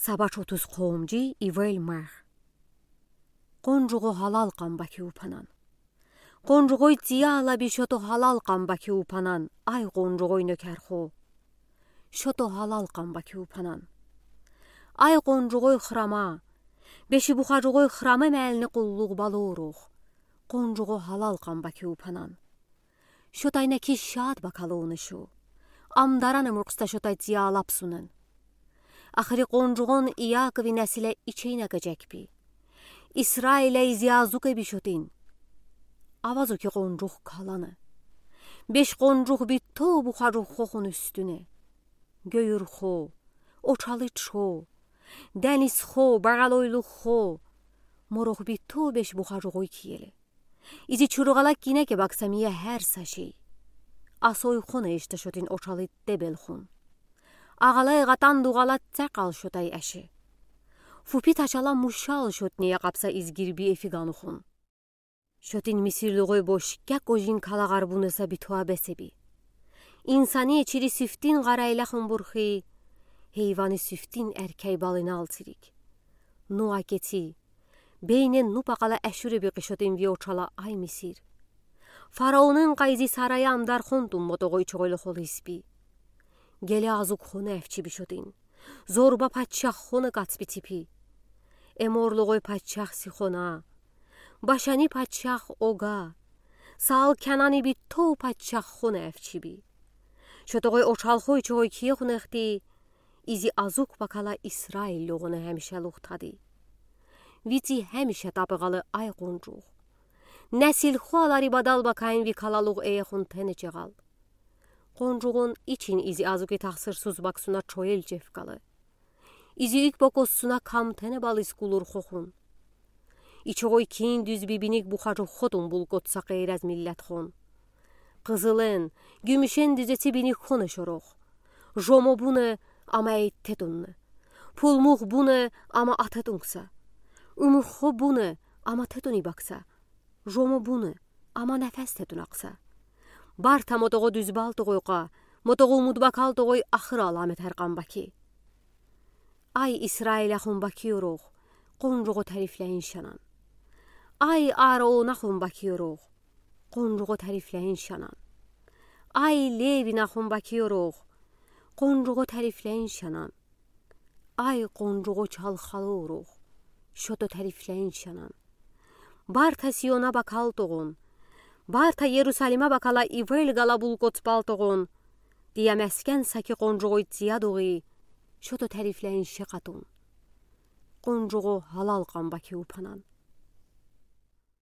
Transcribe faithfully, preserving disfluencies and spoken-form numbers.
Сабач отуз хомджи, ивель марх. Къонжугъо гьалал кьан баки упанан. Къонжугъой цияла би шото гьалал кьан баки упанан, ай къонжугъой нёкерхо. Шото гьалал кьан баки упанан. Ай къонжугъой храма, бешибухаджугъой храма мелни къуллугъ балурухъ. Къонжугъо гьалал кьан баки упанан. Шотай неки шад бакалуна шу. Ам дарана муркста шотай цияла псунан. Ахри къонжугъон Иакови несиле ичейна гежек би. Исраиле изи азуке би шотин. Авазуки къонжух калана. Беш къонжух би то бухаджух хохун уьстюне. Гёюр хо, очалыч хо, денис хо, багалойлух хо. Морух би то беш бухаджугъой киеле. Изи чуругъала кине ке бакса мия гьер са шей. Асой хона эшта шотин очалыт дебел хун. Агъалай гъатан дугъала цекъал шотай эше. Фупи ташала мушал шотни якъапса изгир би эфиган хун. Шотин мисирлугъой бош кяк ожин калагъар буна са би туа бесе би. Инсани чири сифтин гъарайла хун бурхи, гьейвани сифтин эркей балинал цирик. Нуа кеци, бейне нупа къала эшуре би къишотин ви очала ай Мисир. Фараонын къайзи сарая амдар хонтун мотогъой чогъойлу холис би. Геле азук хона эфчи би шотин. Зорба пачах хона кац би ципи. Эморлугъой пачах Сихона. Башани пачах Ога. Саал Кенани би то пачах хона эфчи би. Шотогъой очалхой чогъой кие хунехти, изи азук бакала Исраиллугъуна гьамиша лугътади. Вици гьамиша тапи гъала ай къунжугъ. Несил хуалари бадал бакаин ви калалугъ эехун тенечегъал. Къунжугъун ичин изи азуки тахсырсуз баксуна чоел чефкала. Изи ик бокоссуна кам тенебал искулур хохун. Ичогъой кин дуьз би биник бухажу хотун булкотса къейрез миллет хон. Къызылен, гюмюшен дуьзеци биник хона шорох. Жомо буна, ама эйтте тунна. Пулмух буна, ама ате тункса. Умухо буна, ама те туни бакса. Жомо буна, ама нефес те тунакса. Барта мотогъо дуьзбал тогъойкъа, мотогъо умудбакал тогъой ахыр аламет гьаркъан баки. Ай Исраил ахун баки ёрох, къунжугъо тарифлейин шанан. Ай Аарон ахун баки ёрох, къунжугъо тарифлейин шанан. Ай Левин ахун баки ёрох, къунжугъо тарифлейин шанан. Ай къунжугъо чалхалу ёрох, шото тарифлейин шанан. Барта Сиона бакал тогъун, барта Ерусалима бакала ивел гала булкотбал тогъун. Тия мескен саки къунжугъой тия дугъи, шото тарифлейин ше къатун. Къунжугъо гьалал къан баки упанан.